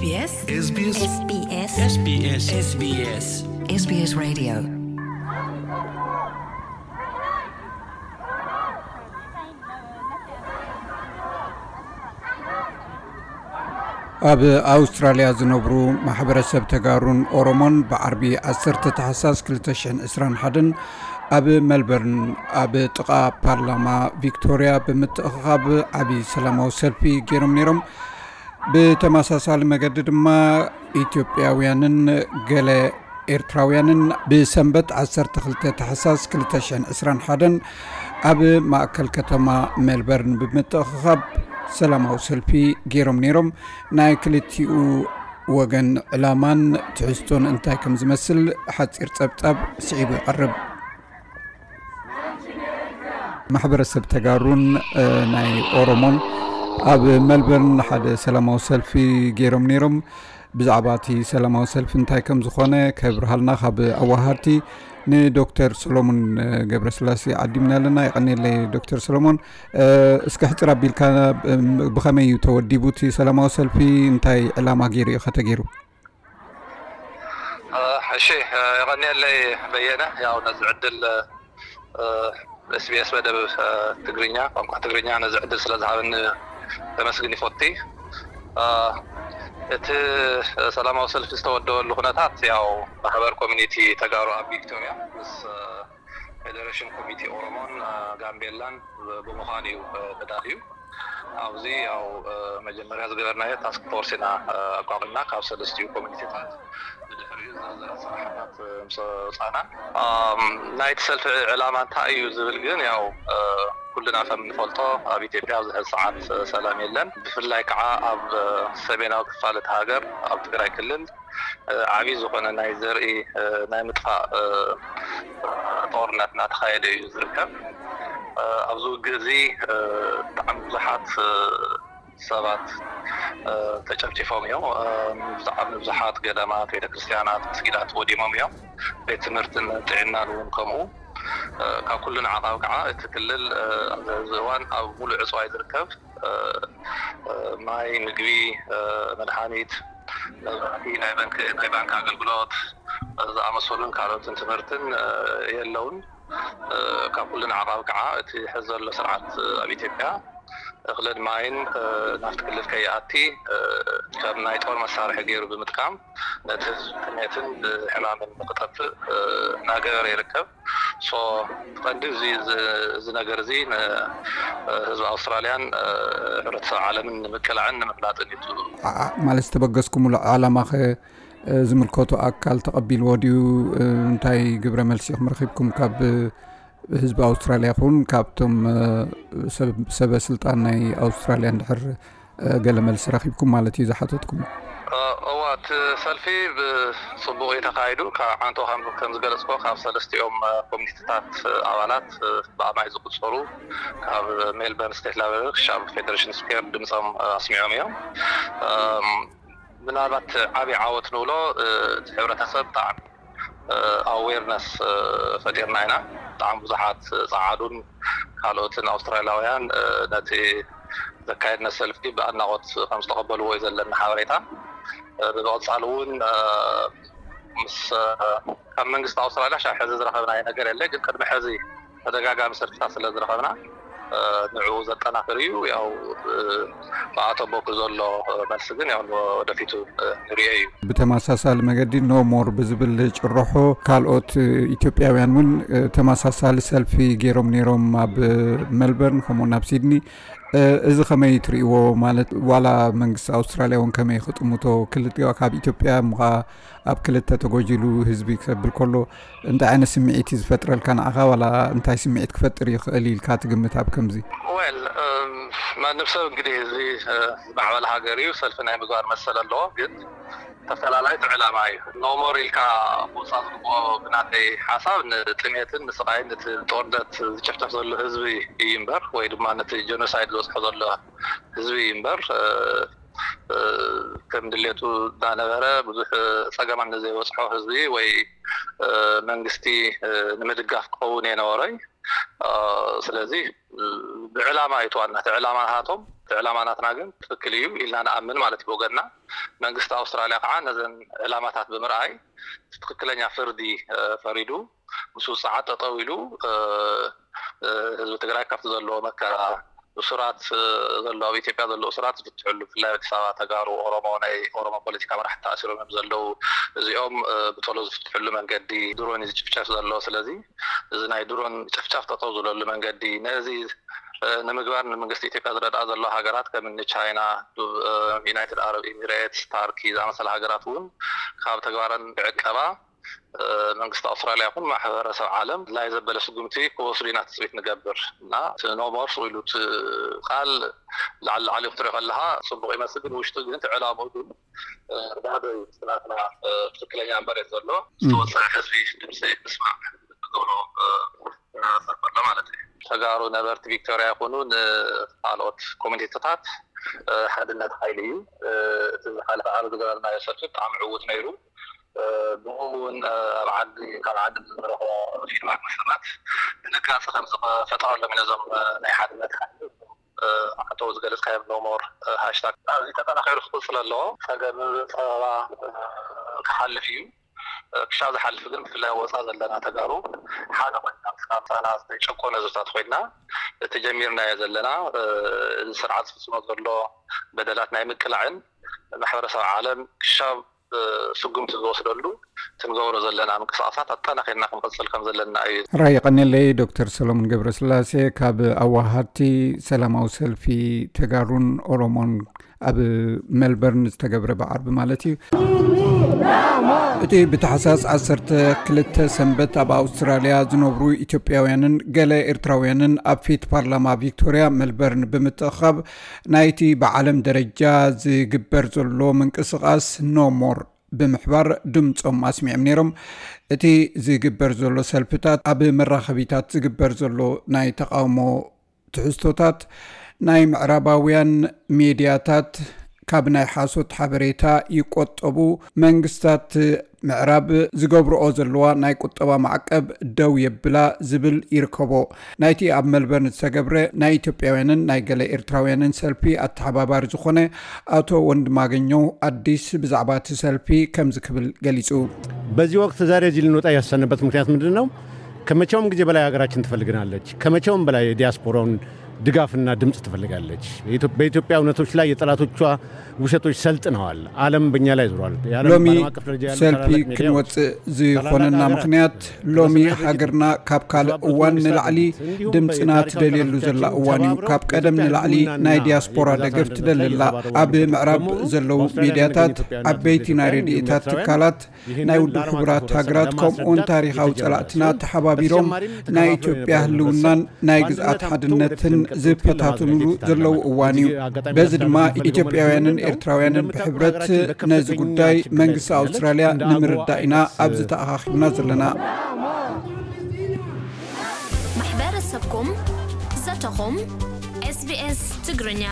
SBS SBS SBS SBS SBS SBS Radio. ኣብ ኣውስትራልያ ዝነብሩ ማሕበረሰብ ተጋሩን ኦሮሞን ብዓርቢ ዓሰርተ ታሕሳስ ክልተ ሽሕን ዕስራን ሓደን ኣብ ሜልበርን ኣብ ጥቓ ፓርላማ ቪክቶርያ ብምትእኽኻብ ዓቢ ሰላማዊ ሰልፊ ገይሮም ነይሮም። ብተመሳሳሊ መገዲ ድማ ኢትዮጵያውያንን ገለ ኤርትራውያንን ብሰንበት ዓሰርተ ክልተ ታሕሳስ ክልተ ሽሕን ዕስራን ሓደን ኣብ ማእከል ከተማ ሜልበርን ብምትእኽኻብ ሰላማዊ ሰልፊ ገይሮም ነይሮም። ናይ ክልቲኡ ወገን ዕላማን ትሕዝቶን እንታይ ከም ዝመስል ሓጺር ጸብጻብ ስዒቡ ይቐርብ። ማሕበረሰብ ተጋሩን ናይ ኦሮሞን ኣብ ሜልበርን ሓደ ሰላማዊ ሰልፊ ገይሮም ነይሮም። ብዛዕባ እቲ ሰላማዊ ሰልፊ እንታይ ከም ዝኾነ ከብርሃልና ካብ ኣዋሃድቲ ንዶክተር ሰሎሞን ገብረስላሴ ዓዲምና ኣለና። ይቐኒለይ ዶክተር ሰሎሞን። እስኪ ሕፅር ኣቢልካ ብኸመይ እዩ ተወዲቡ እቲ ሰላማዊ ሰልፊ? እንታይ ዕላማ ገይሩ እዩ ከተገይሩ? እሺ፣ የቐኒለይ በየነ፣ ያው ነዚ ዕድል SBS መደብ ትግርኛ፣ ቋንቋ ትግርኛ ነዚ ዕድል ስለ ዝሃበኒ ከመስግን ይፈቲ። እቲ ሰላማዊ ሰልፊ ዝተወደበሉ ኩነታት ያው ማሕበር ኮሚኒቲ ተጋሩ ኣብ ቪክቶርያ ምስ ፌደሬሽን ኮሚቴ ኦሮሞን ጋምቤላን ብምዃን እዩ ተዳልዩ። ኣብዚ ያው መጀመርያ ዝገበርናዮ ታስክ ፎርስ ኢና ኣቋቒምና ካብ ሰለስቲኡ ኮሚኒቲታት ብድሕሪኡ ዝርዝር ኣሰራርሓታት ምስ ኣውፃእና። ናይቲ ሰልፊ ዕላማ እንታይ እዩ ዝብል ግን ያው ኩልና ከም ንፈልጦ ኣብ ኢትዮጵያ ኣብዚ ሕዚ ሰዓት ሰላም የለን። ብፍላይ ከዓ ኣብ ሰሜናዊ ክፋል እቲ ሃገር ኣብ ትግራይ ክልል ዓብዪ ዝኾነ ናይ ዘርኢ ናይ ምጥፋእ ጦርነት እናተኻየደ እዩ ዝርከብ። ኣብዚ ውግእ እዚ ብጣዕሚ ብዙሓት ሰባት ተጨፍጭፎም እዮም። ብጣዕሚ ብዙሓት ገዳማት፣ ቤተክርስትያናት፣ መስጊዳት ወዲሞም እዮም። ቤት ትምህርትን ጥዕናን እውን ከምኡ። ካብ ኩሉ ንዓቃብ ከዓ እቲ ክልል ኣብዚ ሕዚ እዋን ኣብ ሙሉእ ዕፅዋይ ዝርከብ ማይ፣ ምግቢ፣ መድሃኒት፣ መብራህቲ፣ ናይ ባንክ ናይ ባንክ ኣገልግሎት ዝኣመሰሉን ካልኦትን ትምህርትን የለውን። ካብ ኩሉ ንዓቃብ ከዓ እቲ ሕዚ ዘሎ ስርዓት ኣብ ኢትዮጵያ እኽልን ማይን ናብቲ ክልል ከይኣቲ ከም ናይ ጦር መሳርሒ ገይሩ ብምጥቃም ነቲ ህዝቢ ጥሜትን ብሕማምን ንክጠፍእ እናገበረ ይርከብ። ሶ ቀንዲ እዚ ነገር እዚ ንህዝቢ ኣውስትራልያን ሕብረተሰብ ዓለምን ንምቅላዕን ንምፍላጥን እዩ። ማለት ዝተበገስኩምሉ ዓላማ ከ ዝምልከቶ ኣካል ተቐቢልዎ ድዩ? እንታይ ግብረ መልሲ ኢኹም ረኺብኩም ካብ ህዝቢ ኣውስትራልያ ይኹን ካብቶም ሰበ ስልጣን ናይ ኣውስትራልያ እንድሕር ገለ መልሲ ረኺብኩም ማለት እዩ ዝሓተትኩም? እዋ እቲ ሰልፊ ብፅቡቕ እዩ ተካይዱ። ካብ ዓንቶ ከም ዝገለፅኮ ካብ ሰለስቲኦም ኮሚኒቲታት ኣባላት ብኣማይ ዝቁፀሩ ካብ ሜልበርን ስቴት ላይብረሪ ክሻብ ፌደሬሽን ስኩዌር ድምፆም ኣስሚዖም እዮም። ምናልባት ዓብዪ ዓወት ንብሎ እቲ ሕብረተሰብ ብጣዕሚ ኣዌርነስ ፈጢርና ኢና። ብጣዕሚ ብዙሓት ፀዓዱን ካልኦትን ኣውስትራሊያውያን ነቲ ዘካየድና ሰልፊ ብኣድናቆት ከም ዝተቐበልዎ እዩ ዘለና ሓበሬታ። ብምቕፃል እውን ምስ ካብ መንግስቲ ኣውስትራሊያ ሻብ ሕዚ ዝረኸብናዮ ነገር የለ፣ ግን ቅድሚ ሕዚ ተደጋጋሚ ሰልፍታት ስለ ዝረኸብና ንዕኡ ዘጠናኽር እዩ። ያው ብኣቶ ቦኩ ዘሎ መልሲ ግን ያው ወደፊቱ ንሪኦ እዩ። ብተመሳሳሊ መገዲ ኖ ሞር ብዝብል ጭርሖ ካልኦት ኢትዮጵያውያን እውን ተመሳሳሊ ሰልፊ ገይሮም ነይሮም ኣብ ሜልበርን ከምኡውን ኣብ ሲድኒ። እዚ ከመይ ትርእይዎ? ማለት ዋላ መንግስቲ ኣውስትራልያ እውን ከመይ ክጥምቶ ክልቲኦ ካብ ኢትዮጵያ ምኻ ኣብ ክልተ ተጎጂሉ ህዝቢ ክሰብል ከሎ እንታይ ዓይነት ስምዒት እዩ ዝፈጥረልካ ንዓኻ? ዋላ እንታይ ስምዒት ክፈጥር ይኽእል ኢልካ ትግምት ኣብ ከምዚ? Well ማንም ሰብ እንግዲህ እዚ ዝማዕበለ ሃገር እዩ ሰልፊ ናይ ምግባር መሰል ኣለዎ። ግን ተፈላላይት ዕላማ እዩ። ኖሞር ኢልካ ምውፃእ ዝግብኦ ብናተይ ሓሳብ ንጥሜትን ንስቃይን ነቲ ጦርነት ዝጭፍጨፍ ዘሎ ህዝቢ እዩ እምበር ወይ ድማ ነቲ ጀኖሳይድ ዝበፅሖ ዘሎ ህዝቢ እዩ እምበር ከም ድሌቱ እናነበረ ብዙሕ ፀገማት ንዘይበፅሖ ህዝቢ ወይ መንግስቲ ንምድጋፍ ክኸውን እየ ነበሮይ። ስለዚ ብዕላማ እዩ ተዋና እቲ ዕላማ ናሃቶም እቲ ዕላማ ናትና ግን ትክክል እዩ ኢልና ንኣምን ማለት እዩ ብወገንና። መንግስቲ ኣውስትራልያ ከዓ ነዘን ዕላማታት ብምርኣይ ትክክለኛ ፍርዲ ፈሪዱ፣ ምስ ውፅዓት ጠጠው ኢሉ ህዝቢ ትግራይ ካብቲ ዘለዎ መከራ፣ እሱራት ዘሎ፣ ኣብ ኢትዮጵያ ዘሎ እሱራት ዝፍትሕሉ፣ ብፍላይ ኣዲስ ኣበባ ተጋሩ፣ ኦሮሞ፣ ናይ ኦሮሞ ፖለቲካ መራሕቲ ተኣሲሮም እዮም ዘለዉ፣ እዚኦም ብቶሎ ዝፍትሕሉ መንገዲ፣ ድሮን እዩ ዝጭፍጨፍ ዘሎ። ስለዚ እዚ ናይ ድሮን ጭፍጨፍ ጠጠው ዝብለሉ መንገዲ፣ ነዚ ንምግባር ንመንግስቲ ኢትዮጵያ ዝረድኣ ዘሎ ሃገራት ከም እኒ ቻይና፣ ዩናይትድ ኣረብ ኤሚሬትስ፣ ታርኪ ዝኣመሰለ ሃገራት እውን ካብ ተግባረን ክዕቀባ መንግስቲ ኣውስትራልያ ይኹን ማሕበረሰብ ዓለም ናይ ዘበለ ስጉምቲ ክወስዱ ኢና ትፅቢት ንገብር እና እቲ ኖሞር ኢሉ እቲ ቃል ላዕሊ ላዕሊ ክትሪኦ ከለካ ፅቡቅ ይመስል፣ ግን ውሽጡ ግን እቲ ዕላምኡ ግን ባዶ እዩ። ናትና ትክክለኛ መሬት ዘሎ ዝተወፀዐ ህዝቢ ድምፂ ምስማዕ ዝገብሮ ዘሎ ማለት እዩ። ተጋሩ ነበርቲ ቪክቶርያ ይኹኑ ንካልኦት ኮሚኒቲታት ሓድነት ሓይሊ እዩ። እቲ ዝሓለፈ ዓርቢ ዝገበርናዮ ሰልፊ ብጣዕሚ ዕዉት ነይሩ። ብኡ እውን ኣብ ዓዲ ካብ ዓዲ ዝረኽቦ ፊድባክ መሰረት ድንጋፂ ከም ዝፈጠረሎም ነዞም ናይ ሓድነት ሓይሊ ኣቶ ዝገለፅካዮም ኖሞር ሃሽታግ እዚ ተጠናኺሩ ክቕፅል ኣለዎ። ፀገም ፀበባ ክሓልፍ እዩ። ክሻብ ዝሓልፍ ግን ብፍላይ ወፃ ዘለና ተጋሩ ሓደ ኮይና ምስና ዝተጨቆነ ህዝብታት ኮይና እቲ ጀሚርናዮ ዘለና እዚ ስርዓት ዝፍፅሞ ዘሎ በደላት ናይ ምቅላዕን ማሕበረሰብ ዓለም ክሻብ ስጉምቲ ዝወስደሉ ትንገብሮ ዘለና ምንቅስቃሳት ኣጠናኺርና ክንቅፅል ከም ዘለና እዩ። ራይ ቀኒለይ ዶክተር ሰሎሞን ገብረስላሴ ካብ ኣዋሃድቲ ሰላማዊ ሰልፊ ተጋሩን ኦሮሞን ኣብ ሜልበርን ዝተገብረ ብዓርቢ ማለት እዩ። እቲ ብታሕሳስ ዓሰርተ ክልተ ሰንበት ኣብ ኣውስትራልያ ዝነብሩ ኢትዮጵያውያንን ገለ ኤርትራውያንን ኣብ ፊት ፓርላማ ቪክቶርያ ሜልበርን ብምትእኻብ ናይቲ ብዓለም ደረጃ ዝግበር ዘሎ ምንቅስቃስ ኖሞር ብምሕባር ድምፆም ኣስሚዖም ነይሮም። እቲ ዝግበር ዘሎ ሰልፍታት ኣብ መራኸቢታት ዝግበር ዘሎ ናይ ተቃውሞ ትሕዝቶታት ናይ ምዕራባውያን ሜድያታት ካብ ናይ ሓሶት ሓበሬታ ይቆጠቡ፣ መንግስታት ምዕራብ ዝገብርኦ ዘለዋ ናይ ቁጠባ ማዕቀብ ደው የብላ ዝብል ይርከቦ። ናይቲ ኣብ ሜልበርን ዝተገብረ ናይ ኢትዮጵያውያንን ናይ ገለ ኤርትራውያንን ሰልፊ ኣተሓባባሪ ዝኾነ ኣቶ ወንድማገኘው ኣዲስ ብዛዕባ እቲ ሰልፊ ከምዚ ክብል ገሊጹ። በዚህ ወቅት ዛሬ እዚህ ልንወጣ ያሰብንበት ምክንያት ምንድን ነው? ከመቼውም ጊዜ በላይ ሀገራችን ትፈልገናለች። ከመቼውም በላይ የዲያስፖራውን ድጋፍና ድምፅ ትፈልጋለች። በኢትዮጵያ እውነቶች ላይ የጠላቶቿ ውሸቶች ሰልጥነዋል። ዓለም በእኛ ላይ ዙሯል። ሎሚ ሰልፊ ክንወፅእ ዝኾነና ምኽንያት ሎሚ ሃገርና ካብ ካልእ እዋን ንላዕሊ ድምፅና ትደልየሉ ዘላ እዋን እዩ። ካብ ቀደም ንላዕሊ ናይ ዲያስፖራ ደገፍ ትደሊ ኣላ። ኣብ ምዕራብ ዘለዉ ሚድያታት፣ ዓበይቲ ናይ ረድኤታት ትካላት፣ ናይ ውድብ ሕቡራት ሃገራት ከምኡውን ታሪኻዊ ጸላእትና ተሓባቢሮም ናይ ኢትዮጵያ ህልውናን ናይ ግዝኣት ሓድነትን ዝፈታትኑሉ ዘለዉ እዋን እዩ። በዚ ድማ ኢትዮጵያውያንን ኤርትራውያንን ብሕብረት ነዚ ጉዳይ መንግስቲ ኣውስትራልያ ንምርዳእ ኢና ኣብዚ ተኣኻኺብና ዘለና። ማሕበረሰብኩም ዘተኹም ኤስቢኤስ ትግርኛ።